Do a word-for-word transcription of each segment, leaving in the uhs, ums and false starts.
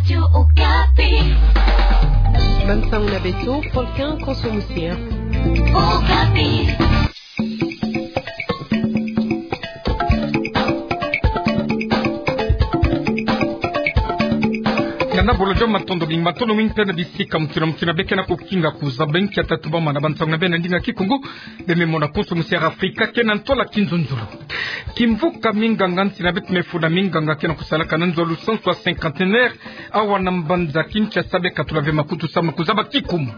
Radio Okapi. Bansangu na beto, Paul Ken Konso Musia. Okapi. Ngana bolo jo matondo mingi, matondo mingi mpe na bisika mutu na mutu na beke na kukinga kuzaba nki ya tatubama na bansangu na beno na ndinga Kikongo. Beno me mona Konso Musia Afrika ke na ntwala kinzonzolo. Kimvuka minganga nsi na beto, mefunda minganga ke na kusalaka na nzo ya lusansu ya cinquantenaire awa na mbanza Kinshasa, be katula ve makutu samu na kuzaba kikuma.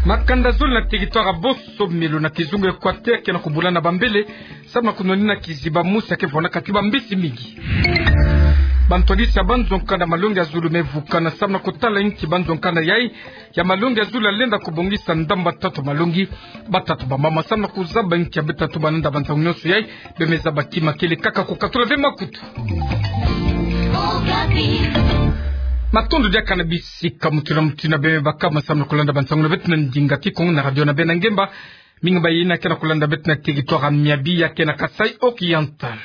Makanda zole na territoire ya Bosomelo na kizunga Equateur ke na kubula na bambele samu na kunwanina kiziba mosi ya ke vwandaka ti bambisi mingi. Bantwadisi ya banzo-nkanda malongi ya zulu mevukana samu na kutala nki banzo-nkanda yai ya malongi ya zulu ya lenda kubongisa ndambu ya tatu malongi. Batatu bamama samu na kuzaba nki ya beta tubana na bansangu nyonso yai. Beno me zaba kima, kele kaka kukatula ve makutu. Matondo diaka na bisika mutu na mutu na beno me baka masamu na kulanda bansangu na beto na ndinga Kikongo na radio na beno na ngemba. Mingi mayina ke na kulanda beto na territoire ya Miabi ya ke na Kasaï Oriental.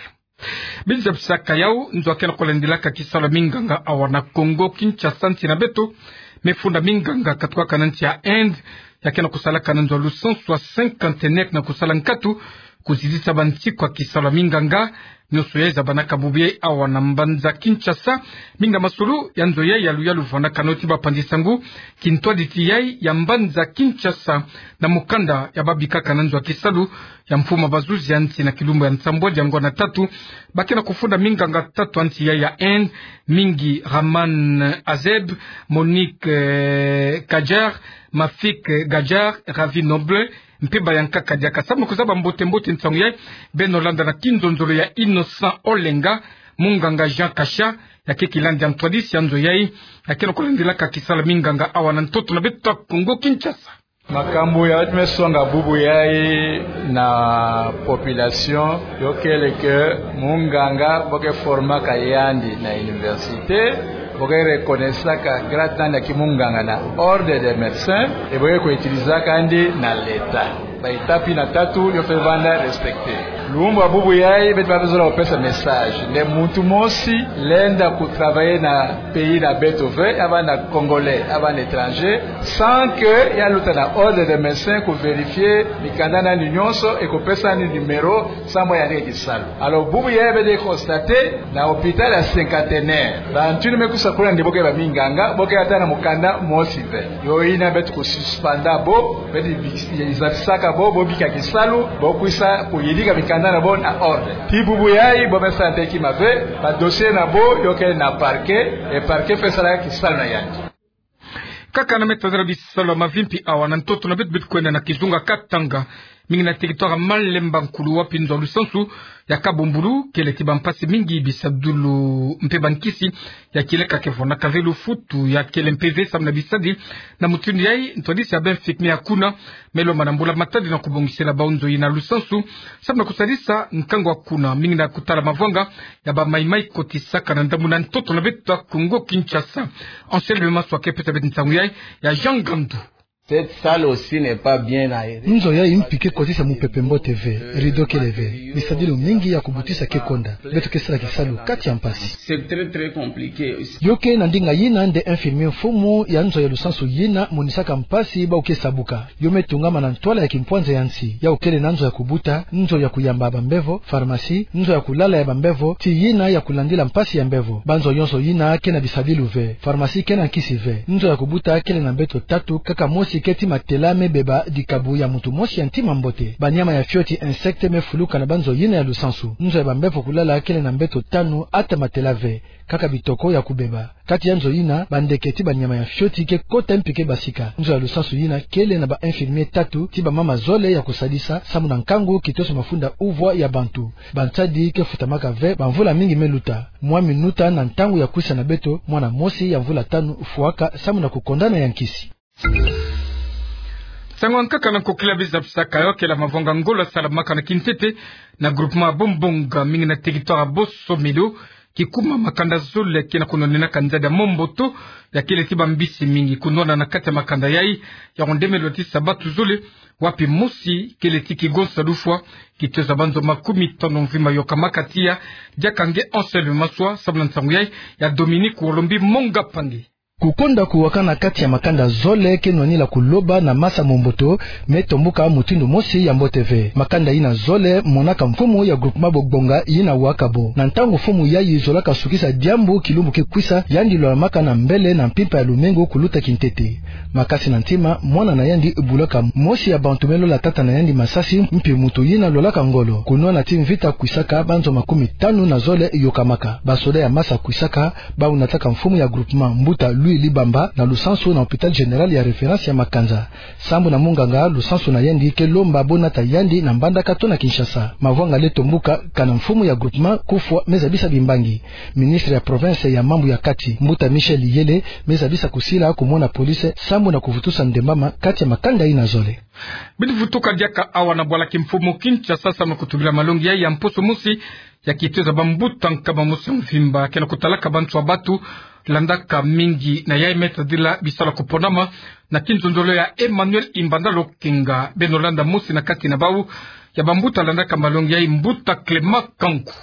Biza bisaka yau, nzo ya ke na kulandilaka kisalu ya minganga awa na Kongo Kinshasa, nsi na beto, mefunda minganga katukaka na nsi ya Inde ya ke na kusalaka na nzo ya lusansu ya cinquantenaire na kusala nkatu kuzidisa bansiku ya kisalu ya minganga. Nyonso yai zabanaka bubu yai awa na mbanza Kinshasa. Mingi na masolo ya nzo yai ya luyalu vwandaka nao ti bapanzi-nsangu kintwadisi yai ya mbanza Kinshasa na mukanda ya babikaka na nzo ya kisalu ya mfuma bazuzi ya nsi na kilumbu ya nsambwadi ya ngwa na tatu. Ba ke na kufunda minganga tatu ya nsi yai ya Inde, mingi Raman Azeb, Monique, eh, Kajar, Mafik Gajar, Ravi Noble, mpe bayankaka diaka. Samu na kuzaba mbote-mbote nsangu yai, beno landa na kinzonzolo ya Innocent Olenga, munganga Jean Kasha, ya ke kilandi ya ntwadisi ya nzo yai, ya ke na kulandilaka kisalu ya minganga awa na ntoto na beto ya Kongo Kinshasa. Makambu ya beto me songa bubu yai na population, yo kele que munganga bo ke formaka yandi na université, bo ke reconnaissaka grade na yandi ya kimunganga na ordre des médecins, et bo ke utilisaka yandi na l'État. Ba étape yina tatu yo fwete vanda respecter. Lumbu ya bubu yai beto ba fwete zola kupesa message nde muntu mosi lenda kutravailler na pays na beto ve, ya vanda Congolais, ya vanda étranger, sans que ya luta na ordre des médecins kuvérifier mikanda na yandi nyonso et kupesa yandi numéro samu yandi ke kisalu. Alors bubu yai beto constater na hôpital ya Cinquantenaire, bantu yina me kusa kuna nde bo ke baminganga, bo ke ata na mukanda mosi ve. Yo yina beto kususpenda bo, beto bi- zabisaka bo, bo bika kisalu, bo kwisa kuyidika mikanda na bo na ordre. Tii bubu yai bo me sala kima ve, ba dossier na bo yo kele na parquet, et parquet fwete sala kisalu na yandi. Kaka na meta zara bisalu ya mavimpi awa na ntoto na beto, beto kwenda na kizunga Katanga, mingi na territoire Malemba Nkulu, wapi nzo ya lusansu ya Kabumbulu kele ti bampasi mingi, bisadulu mpe bankisi ya kieleka ke vwandaka ve, lufutu ya kele mpe ve samu na bisadi. Na mutindu yai, ntwadisi ya ba infirmier ya kuna me lomba na mbula matadi na kubongisela bawu nzo yina ya lusansu samu na kusadisa nkangu ya kuna, mingi na kutala mavwanga ya bamayi-mayi kotisaka na ndambu na ntoto na beto ya Kongo Kinshasa. Anselme Maswa ke pesa beto nsangu yai ya Jean Ngandu. Cette salle aussi n'est pas bien aérée. Nzo yai mpi ke kotisa mupepe mbote ve, rideau kele ve. Bisadilu mingi ya kubutisa ke konda. Beto ke sala kisalu kati ya mpasi. C'est très, très compliqué aussi. Yo ke na ndinga yina nde infirmier mfumu ya nzo ya lusansu yina monisaka mpasi bawu ke sabuka. Yo me tungama na ntwala ya kimpwanza ya nsi, yawu kele na nzo ya kubuta, nzo ya kuyamba bambevo, pharmacie, nzo ya kulala ya bambevo, tii yina ya kulandila mpasi ya mbevo. Banzo yonso yina ke na bisadilu ve. Pharmacie ke na nkisi ve. Nzo ya kubuta kele na mbeto tatu, kaka mosi ke ti matela me beba dikabu ya muntu mosi ya ntima mbote. Banyama ya fioti, insectes, me fuluka na banzo yina ya lusansu. Nzo ya bambevo kulala kele na mbeto tanu, ata matela ve, kaka bitoko ya kubeba. Kati ya nzo yina, bandeke ti banyama ya fioti ke kota mpi ke basika. Nzo ya lusansu yina kele na ba infirmier tatu ti bamama zole ya kusadisa samu na nkangu kitoso mafunda uvwa ya bantu. Bansadi ke futamaka ve bamvula mingi me luta. Mwa minuta na ntangu ya kwisa na beto, mwana mosi ya mvula tanu fwaka samu na kukondana ya nkisi. Nsangu ya nkaka na nkokila biza bisaka yo kele mavwanga ngolo salamaka na kintete na groupement Bombonga, mingi na territoire Bosomelo, kikuma makanda zole ke na kunwanenaka nzadi ya momboto, ya kele ti bambisi mingi. Kunwana na kati ya makanda yai, ya kondemelo ti sabatu zole, wapi mosi kele ti kigonsa lufwa, kitoza banzo makumi tano mvimba yokamaka tiya. Diaka nge Anselme Maswa, samu na nsangu yai ya Dominique Wolombi Monga Pangi. Kukonda kuwaka na kati ya makanda zole ke nwanila kuloba na masa momboto, me tombuka mutindu mosi ya mbote ve. Makanda yina zole monaka mfumu ya groupement Bogbonga yina waka bo. Na ntangu mfumu yayi zolaka sukisa diambu kilumbu ke kwisa, yandi lolamaka na mbele na mpimpa ya lumingu kuluta kintete. Makasi na ntima, mwana na yandi bulaka mosi ya bantu me lola tata na yandi masasi, mpi muntu yina lolaka ngolo. Kunwana ti mvita kwisaka, banzo makumi tanu na zole yokamaka. Basoda ya masa kwisaka, bau nataka mfumu ya groupement, mbuta Louis Libamba, na lusansu na hôpital général ya référence ya Makanza. Sambu na munganga, lusansu na yandi ke lomba bo nata yandi na mbandaka tona Kinshasa. Mavwanga le tombuka, kana mfumu ya groupement kufwa, me zabisa bimbangi. Ministre ya province ya mambu ya kati, mbuta Michel Yele, me zabisa kusila kumona police, sambu na kuvutusa ndembama kati ya makanda yina zole. Bidi vutuka diaka awa na bwala kimfumu Kinshasa, samu na kutubila malongi yai ya mposo mosi, ya kitoza bambuta nkama mosi mvimba, ke na kutalaka bantu ya batu, landaka mingi na yai me tadila bisalu ya kuponama, na kinzonzolo ya Emmanuel Imbanda Lokenga. Beno landa mosi na kati na bau ya bambuta landaka malongi yai, mbuta Clément Kanku.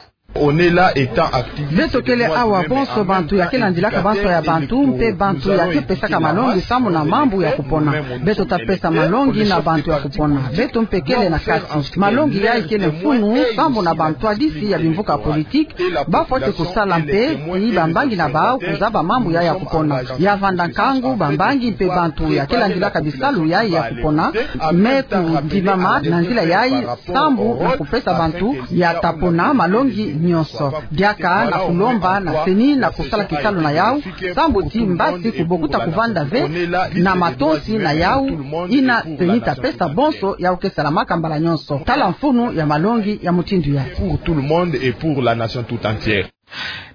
Beto kele awa bonso bantu ya ke landilaka banso ya bantu, mpe bantu ya ke pesaka malongi samu na mambu ya kupona. Beto ta pesa malongi na bantu ya kupona. Beto mpe kele na kati. Malongi yai kele mfunu, samu na bantwadisi ya bimvuka politique, ba fwete kusala mpe, ti bambangi na bau kuzaba mambu yai ya kupona. Ya vanda nkangu, bambangi mpe bantu ya ke landilaka bisalu yai ya kupona, me kundimama na nzila yai, sambu na kupesa bantu ya ta pona malongi nyonso. Diaka na kulomba na CENI na kusala kisalu na yau, sambu ti mbasi kubokuta kuvanda ve na matonsi na yau, yina CENI ta pesa bonso yau ke salamaka mbala nyonso. Tala mfunu ya malongi ya mutindu yai. Pour tout le monde et pour la nation tout entière.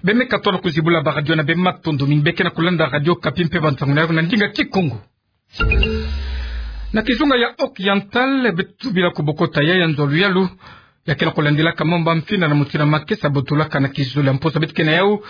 Beno me katono kuzibula ba radio na beno, matondo mingi. Beno ke na kulanda Radio Okapi mpe bansangu na yau na ndinga Kikongo. Na kizunga ya Haut-Oriental, beto tubila kubokota yai ya nzo ya luyalu, ya ke na kulandilaka mambu ya mfinda na mutindu ya makesa botolaka na kizole ya mposo. Beto ke na yau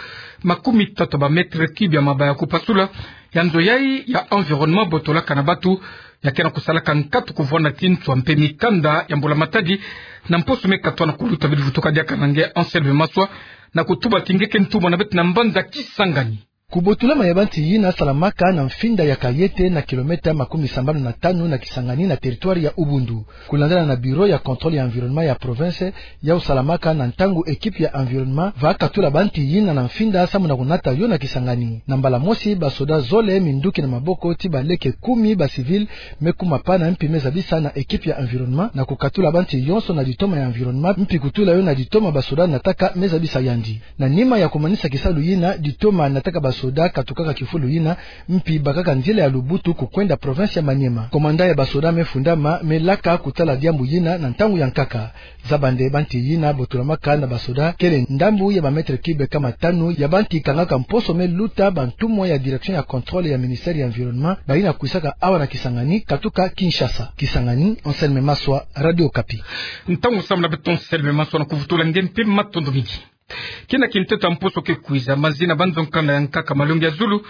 makumi tatu ba mètres cubes ya mabaya ya kupasula. Ya nzo yai ya environnement botolaka na batu, ya ke na kusalaka nkatu kuvwanda ti nswa mpe mikanda ya mbula matadi na mposo me katono kuluta. Bidi vutuka diaka na nge Anselme Maswa, na kutuba ti nge ke ntumwa na beto na mbanza Kisangani. Kubotolama ya banti yina salamaka na mfinda ya Kayete, na kilomètre makumi sambanu na tanu na Kisangani, na territoire ya Ubundu. Kulandala na bureau ya contrôle ya environnement ya province, yau salamaka na ntangu équipe ya environnement va katula banti yina na mfinda samu na kunata yo na Kisangani. Na mbala mosi, basoda zole minduki na maboko ti baleke kumi ba civil me kuma pana mpi me zabisa na équipe ya environnement na kukatula banti yonso na ditoma ya environnement, mpi kutula yo na ditoma basoda nataka me zabisa yandi. Na nima ya kumanisa kisalu yina, ditoma nataka basoda katukaka kifulu yina, mpi bakaka nzila ya Lubutu kukwenda province ya Maniema. Commandant ya basoda me fundama, me laka kutala diambu yina na ntangu ya nkaka. Zaba nde banti yina botolamaka na basoda kele ndambu ya ba mètres cubes kama tanu ya banti kangaka mposo me luta bantumwa ya direction ya contrôle ya ministère ya environnement, bayina kwisaka awa na Kisangani katuka Kinshasa. Kisangani, Anselme Maswa, Radio Okapi. Ntangu samu na beto Anselme Maswa na kuvutula nge mpe matondo mingi. Kina kinteto ya mposo ke kwiza, mazi na banzo nkanda ya nkaka malongi ya zulu,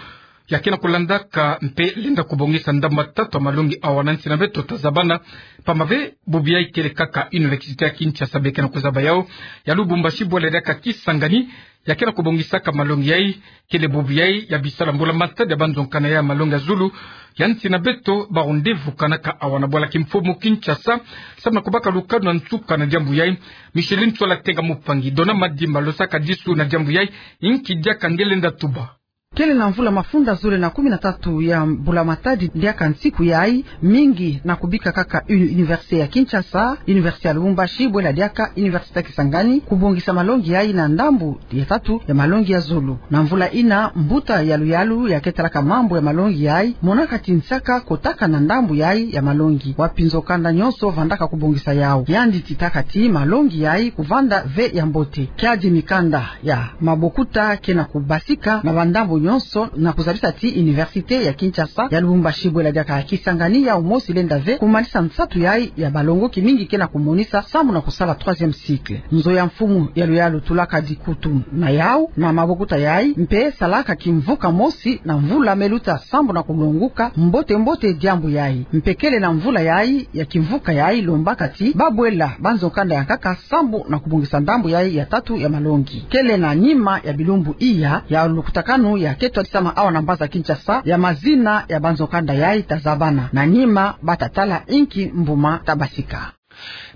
ya ke na kulandaka mpe lenda kubongisa ndambu ya tatu ya malongi awa na nsi na beto, tazabana pamba ve bubu yai kele kaka Université ya Kinshasa be ke na kuzaba yau, ya Lubumbashi bwela diaka Kisangani, ya ke na kubongisaka malongi yai, kele bubu yai ya bisalu ya mbula matadi ya banzo nkanda ya malongi ya zulu ya nsi na beto. Ba rendez-vous kanaka awa na bwala kimfumu Kinshasa, samu na kubaka lukanu na nsuka na diambu yai. Micheline Ntsola Tenga Mupangi, Dona Madimba losaka disu na diambu yai. Inki diaka nge lenda tuba? Kele na mvula mafunda zole na kumi na tatu ya mbula matadi diaka nsiku yai, mingi na kubika kaka uni-, Université ya Kinshasa, Université ya Lubumbashi bwela diaka Université ya Kisangani, kubongisa malongi yai na ndambu ya tatu ya malongi ya zulu. Na mvula yina, mbuta ya luyalu ya ke talaka mambu ya malongi yai monaka ti nsaka kotaka na ndambu yai ya malongi, wapi nzo kanda nyonso vandaka kubongisa yau. Yandi titaka ti malongi yai kuvanda ve ya mbote. Kiadi mikanda ya mabokuta ke na kubasika na bandambu nyonso na kuzabisa ti Université ya Kinshasa ya Lubumbashi bwela diaka Kisangani yau mosi lenda ve kumanisa nsatu yai ya balongoki mingi ke na kumonisa sambu na kusala troisième cycle. Nzo ya mfumu ya luyalu tulaka dikutu na yau na mabokuta yai mpe salaka kimvuka mosi na mvula me luta sambu na kulonguka mbote mbote diambu yai. Mpe kele na mvula yai ya kimvuka yai lombaka ti babwela banzo kanda ya nkaka sambu na kubongisa ndambu yai ya tatu ya malongi. Kele na nima ya bilumbu iya ya lukutakanu ya ke twadisama awa na mbanza Kinshasa ya mazina ya banzo kanda yai tazabana. Na nima bata tala inki mbuma tabasika.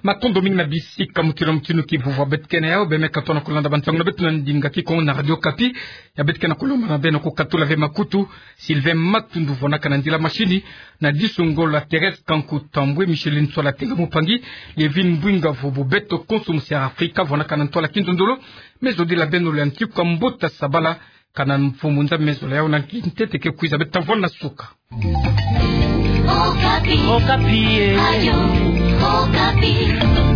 Matondo mingi na bisika mutino mutino ki vova beto ke na yau, bemeka tona kulanda bansangu na beto na ndinga Kikongo na Radio Okapi. Ya beto ke na kulomba na beno kukatula ve makutu, Sylvain Matundu vwandaka na ndila mashini, na disu ngolo Thérèse Kanku Tambwe, Micheline Sola Tenga Mupangi, Lievine Mbwinga vo bo beto konso musi ya Afrika vwandaka na ntwala kindondolo. Me zodila beno lwantiku ya mbuta sabala, kana mfumu nza me zola yau na kintete ke kwiza. Beto ta vwanda na suka. Okapi. Okapi, eh. Radio Okapi.